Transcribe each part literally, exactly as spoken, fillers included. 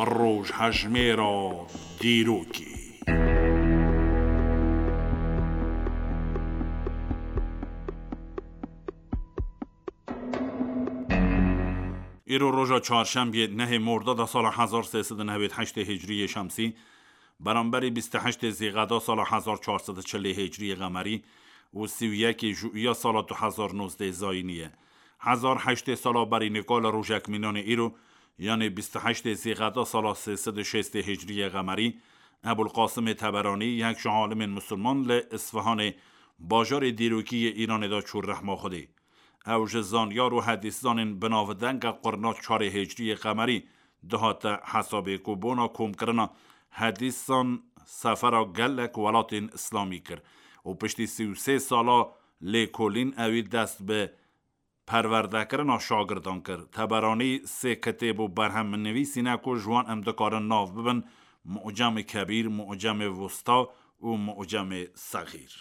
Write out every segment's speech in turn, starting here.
Rojhejmêra dîrokê. Îro roja çarşembiyê nehê Mordada sala hezar sê sed û newêd heştê Hicriyê Şemsî, beramberî bîst û heştê Zîqeda sala hezar çar sed û çilê Hicriyê Qemerî û sî û yekê Jûiya sala du hezar nozdeh Zayînî ye. Hezar heştê sala berî nika li rojek mînanê îro, yanê bîst û heştê Zîqeda sala sê sed û şêstê Hicriyê Qemerî, Ebul Qasimê Teberanî, yek ji alimên misilman li Isfihanê, bajarê dîrokî yê Îranê de çû rehma Xwedê. Ew ji zanyar û hedîszanên bi navdenga qurna çarê Hicriyê Qemerî dihate hesabê ku bona komkirina hedîsan sefera gelek welatên Îslamî kir û piştî sî û sê sala lêkolîn ewî dest bi perwerdekirina şagirdan kir. Teberanî sê kitêb û berhem nivîsîne ku ji wan em dikarin nav bibin Mu'cemê Kebîr, Mu'cemê Wusta û Mu'cemê Sexîr.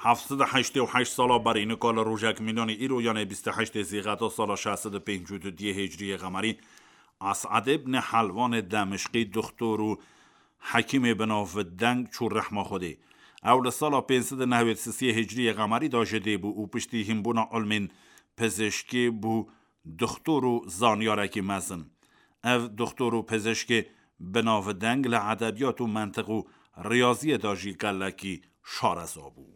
Heft sed û heştê û heşt sala berî nika li rojek mînanî îro, yanê bîst û heştê Zîqeda sala şeş sed û pêncî û du Hicriyê Qemerî, Esad ibn Helwanê Demişqî, doxtor û hekîmê bi nav deng çû rehma Xwedê. Ew li sala pênc sed û newêd sisiyê Hicriyê Qemerî de ji dê bû û piştî hînbûna ilmên pizişkê bû doxtor û zanyarekî mezin. Ev doxtor û pizişkê bi navdeng li edebiyat û mentiq û riyaziyê de jî gelekî şareza bû.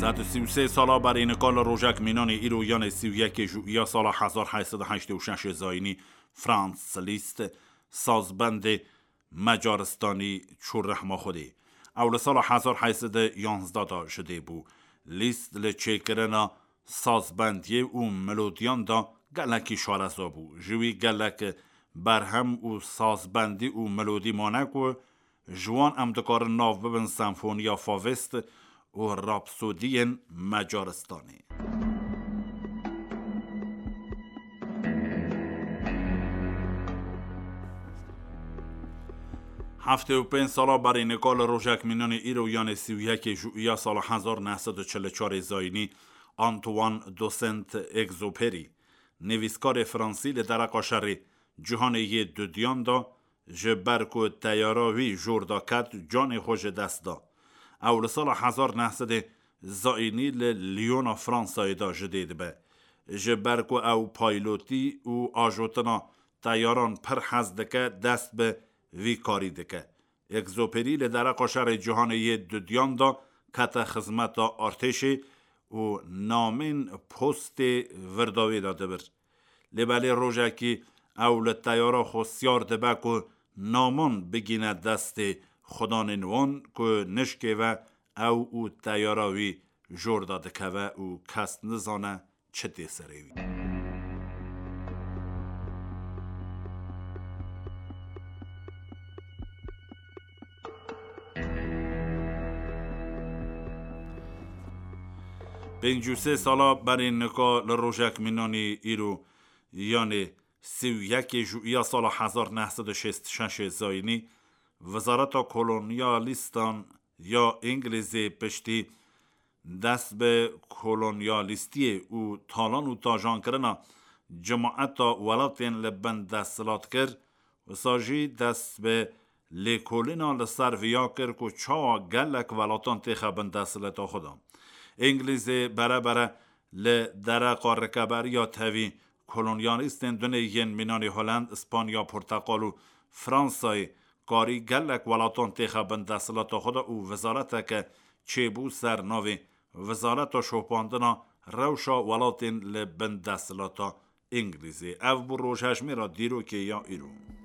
Sed û sî û sê sala berî nika li rojek mînanê îro, yanê sî û yekê Jûiya sala hezar heşt sed û heştê û şeş Zayînî, Franz Liszt, sazbendê Macaristanî, çû rehma Xwedê. Ew li sala hezar heşt sed û yanzdeh de ji dê bû. Liszt li çêkirina sazbendiyê û melodiyan de gelekî şareza bû. Ji wî gelek berhem û sazbendî û melodî mane ku ji wan em dikarin nav bibin senfoniya Favest û rapsodiyên Macaristanê. Heftê û pênc sala berî nika li rojek mînanê îro, yanê sî û yekê Jûiya sala hezar neh sed û çil û çarê Zayînî, Antoine de Saint-Exupéry, nivîskarê fransî, li dereqa şerê cîhanê yê dudiyan de ji ber ku teyara wî jor de ket, canê xwe ji dest da. Ew li sala hezar neh sedê Zayînî li Lyona Fransayê de ji dê dibe. Ji ber ku ew paylotî û ajotina teyaran pir hez dike, dest bi vî karî dike. Exupéry li dereqa şerê cîhanê yê dudiyan de kete xizmeta artêşê û namên postê vir da wê de dibir. Lê belê rojekî ew li teyara xwe siyar dibe ku naman bigîne destê xudanên wan ku nişkê ve ew û teyara wî jor de dikeve û kes nizane çi tê serê wî. Pêncî û sê sala berî nika li rojek mînanî îro, yanê sî û yekê Jûiya sala hezar neh sed û şêst û şeş Zayînî, Wezareta Kolonyalîstan ya Îngilîzê piştî dest bi kolonyalîstiyê û talan û tajankirina cimaeta welatên li bin desthilat kir, wisa jî dest bi lêkolîna li ser viya kir ku çawa gelek welatan têxe bin desthilata xwe de. Îngilîzê berebere li dereqa rikeberiya tevî kolonyalîstên dunê yên mînanê Holland, Îspanya, Porteqal û Fransayê karî gelek welatan têxe bin desthilata xwe de û wezareteke çêbû ser navê Wezareta Şopandina Rewşa Welatên li Bin Desthilata Îngilîzê. Ev bû rojhejmêra dîrokê ya îro.